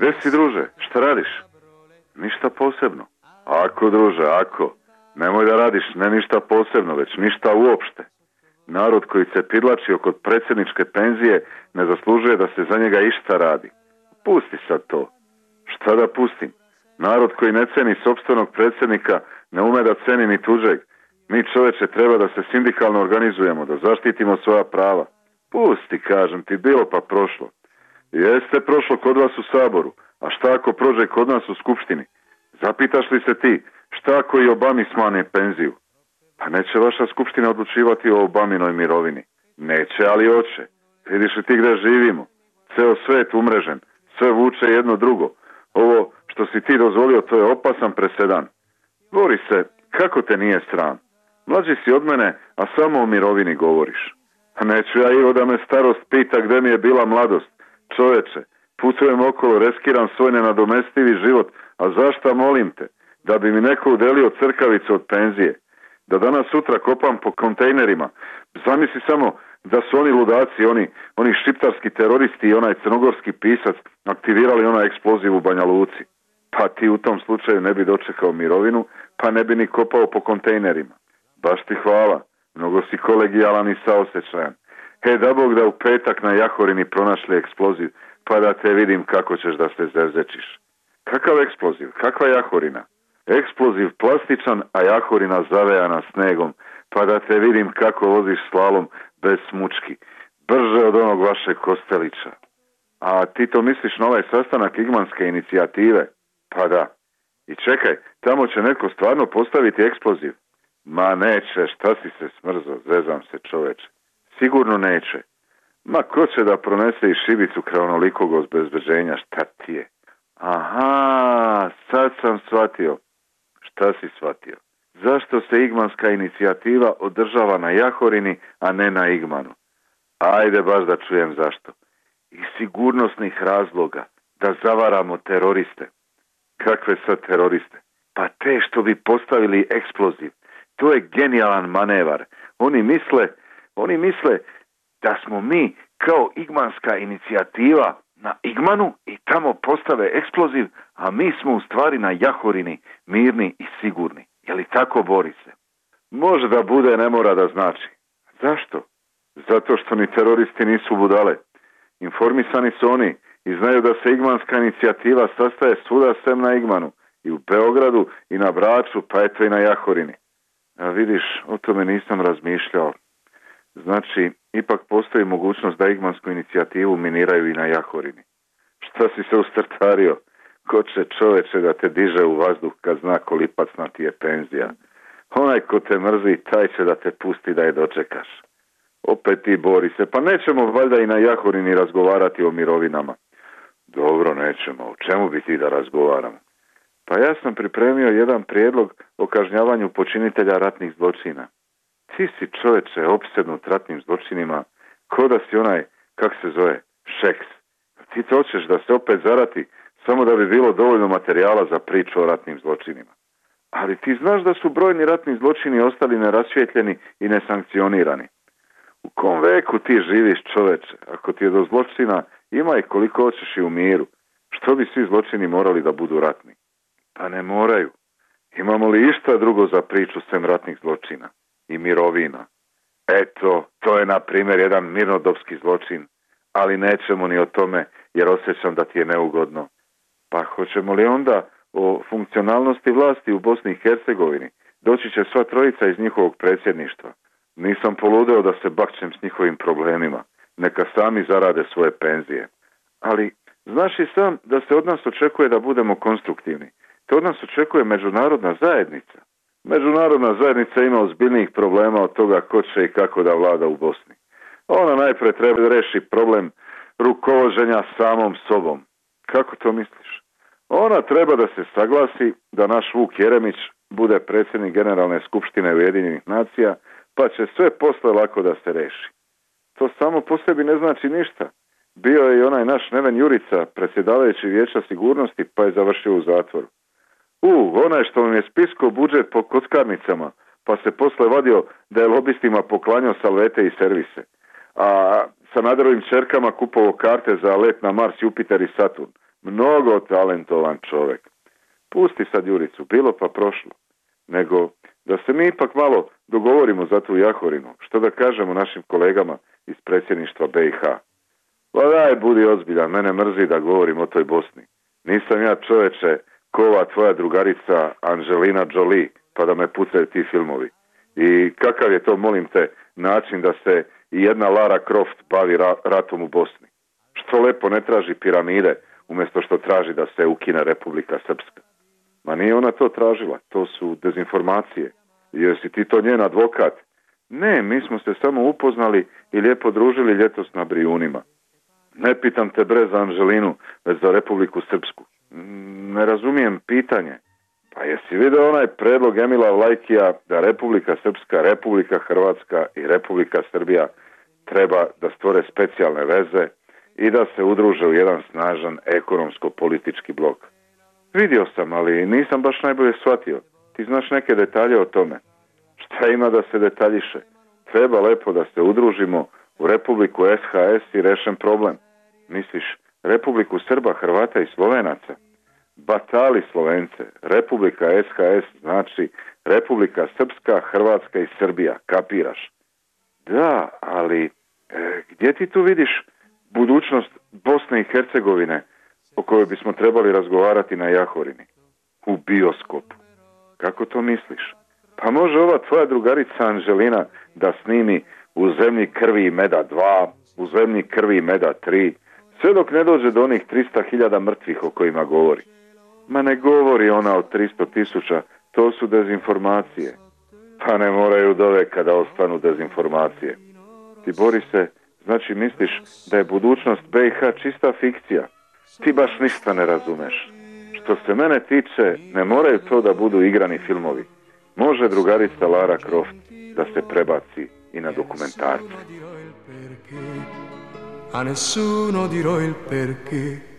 Gde si, druže? Šta radiš? Ništa posebno. Ako, druže, ako. Nemoj da radiš ne ništa posebno, već ništa uopšte. Narod koji se pidlači oko predsjedničke penzije ne zaslužuje da se za njega išta radi. Pusti sad to. Šta da pustim? Narod koji ne ceni sopstvenog predsjednika ne ume da ceni ni tuđeg. Mi, čoveče, treba da se sindikalno organizujemo, da zaštitimo svoja prava. Pusti, kažem ti, bilo pa prošlo. Jeste prošlo kod vas u Saboru, a šta ako prođe kod nas u Skupštini? Zapitaš li se ti, šta ako i Obami smane penziju? Pa neće vaša Skupština odlučivati o Obaminoj mirovini. Neće, ali hoće. Vidiš li ti gde živimo? Ceo svet umrežen, sve vuče jedno drugo. Ovo što si ti dozvolio, to je opasan presedan. Bori se, kako te nije sram? Mlađi si od mene, a samo o mirovini govoriš. A neću ja, Ivo, da me starost pita gde mi je bila mladost. Čoveče, putujem okolo, reskiram svoj nenadomestivi život, a zašta, molim te? Da bi mi neko udelio crkavicu od penzije. Da danas sutra kopam po kontejnerima. Zamisli samo da su oni ludaci, oni šiptarski teroristi i onaj crnogorski pisac aktivirali onaj eksploziv u Banja Luci. Pa ti u tom slučaju ne bi dočekao mirovinu, pa ne bi ni kopao po kontejnerima. Baš ti hvala, mnogo si kolegijalan i saosećajan. Da Bog da u petak na Jahorini pronašli eksploziv, pa da te vidim kako ćeš da se zerzečiš. Kakav eksploziv? Kakva Jahorina? Eksploziv plastičan, a Jahorina zavejana snegom, pa da te vidim kako voziš slalom bez smučki. Brže od onog vašeg Kostelića. A ti to misliš na ovaj sastanak Igmanske inicijative? Pa da. I čekaj, tamo će neko stvarno postaviti eksploziv. Ma neće, šta si se smrzo, zezam se, čoveče. Sigurno neće. Ma ko će da pronese i šibicu kraj onolikog obezbeđenja, šta ti je? Aha, sad sam shvatio. Šta si shvatio? Zašto se Igmanska inicijativa održava na Jahorini, a ne na Igmanu? Ajde baš da čujem zašto. Iz sigurnosnih razloga, da zavaramo teroriste. Kakve sad teroriste? Pa te što bi postavili eksploziv. To je genijalan manevar. Oni misle da smo mi kao Igmanska inicijativa na Igmanu i tamo postave eksploziv, a mi smo u stvari na Jahorini, mirni i sigurni. Je li tako, Borise? Može da bude, ne mora da znači. Zašto? Zato što ni teroristi nisu budale. Informisani su oni i znaju da se Igmanska inicijativa sastaje svuda sem na Igmanu. I u Beogradu, i na Braču, pa eto i na Jahorini. A vidiš, o tome nisam razmišljao. Znači, ipak postoji mogućnost da Igmansku inicijativu miniraju i na Jahorini. Šta si se ustrtario? Ko će, čoveče, da te diže u vazduh kad zna kolipacna ti je penzija? Onaj ko te mrzi, taj će da te pusti da je dočekaš. Opet ti, Borise, pa nećemo valjda i na Jahorini razgovarati o mirovinama. Dobro, nećemo. O čemu bi ti da razgovaramo? Pa ja sam pripremio jedan prijedlog o kažnjavanju počinitelja ratnih zločina. Ti si, čoveče, opsednut ratnim zločinima, ko da si onaj, kak se zove, Šeks. Ti to hoćeš da se opet zarati samo da bi bilo dovoljno materijala za priču o ratnim zločinima. Ali ti znaš da su brojni ratni zločini ostali nerasvjetljeni i nesankcionirani. U kom veku ti živiš, čoveče? Ako ti je do zločina, ima i koliko hoćeš i u miru. Što bi svi zločini morali da budu ratni? Pa ne moraju. Imamo li išta drugo za priču sem ratnih zločina i mirovina? Eto, to je na primjer jedan mirnodopski zločin, ali nećemo ni o tome jer osjećam da ti je neugodno. Pa hoćemo li onda o funkcionalnosti vlasti u Bosni i Hercegovini? Doći će sva trojica iz njihovog predsjedništva. Nisam poludeo da se bakćem s njihovim problemima. Neka sami zarade svoje penzije. Ali znaš i sam da se od nas očekuje da budemo konstruktivni. To od nas očekuje međunarodna zajednica. Međunarodna zajednica ima ozbiljnijih problema od toga ko će i kako da vlada u Bosni. Ona najpre treba reši problem rukovođenja samom sobom. Kako to misliš? Ona treba da se saglasi da naš Vuk Jeremić bude predsjednik Generalne skupštine Ujedinjenih nacija, pa će sve posle lako da se reši. To samo po sebi ne znači ništa. Bio je i onaj naš Neven Jurica, predsjedavajući Vijeća sigurnosti, pa je završio u zatvoru. Onaj što vam je spiskao budžet po kockarnicama, pa se posle vadio da je lobistima poklanjao salvete i servise. A Sanaderovim čerkama kupovao karte za let na Mars, Jupiter i Saturn. Mnogo talentovan čovjek. Pusti sad Juricu, bilo pa prošlo. Nego da se mi ipak malo dogovorimo za tu Jahorinu. Što da kažemo našim kolegama iz predsjedništva BiH? Pa daj, budi ozbiljan, mene mrzi da govorim o toj Bosni. Nisam ja, čoveče, kova tvoja drugarica Angelina Jolie, pa da me pucaju ti filmovi. I kakav je to, molim te, način da se i jedna Lara Croft bavi ratom u Bosni? Što lepo ne traži piramide, umjesto što traži da se ukine Republika Srpska. Ma nije ona to tražila, to su dezinformacije. Jesi ti to njen advokat? Ne, mi smo se samo upoznali i lijepo družili ljetos na Brijunima. Ne pitam te bre za Anželinu, već za Republiku Srpsku. Ne razumijem pitanje. Pa jesi vidio onaj predlog Emila Vlajkija da Republika Srpska, Republika Hrvatska i Republika Srbija treba da stvore specijalne veze i da se udruže u jedan snažan ekonomsko-politički blok? Vidio sam, ali nisam baš najbolje shvatio. Ti znaš neke detalje o tome. Šta ima da se detaljiše? Treba lepo da se udružimo u Republiku SHS i rešen problem. Misliš, Republiku Srba, Hrvata i Slovenaca? Batali Slovence. Republika SHS znači Republika Srpska, Hrvatska i Srbija. Kapiraš? Da, ali gdje ti tu vidiš budućnost Bosne i Hercegovine o kojoj bismo trebali razgovarati na Jahorini? U bioskopu. Kako to misliš? Pa može ova tvoja drugarica Anželina da snimi U zemlji krvi i meda 2, U zemlji krvi i meda 3, sve dok ne dođe do onih 300.000 mrtvih o kojima govori. Ma ne govori ona o 300.000, to su dezinformacije. Pa ne moraju do veka da ostanu dezinformacije. Ti, Borise, znači misliš da je budućnost BiH čista fikcija? Ti baš ništa ne razumeš. Što se mene tiče, ne moraju to da budu igrani filmovi. Može drugarica Lara Croft da se prebaci i na dokumentarce. A nessuno dirò il perché.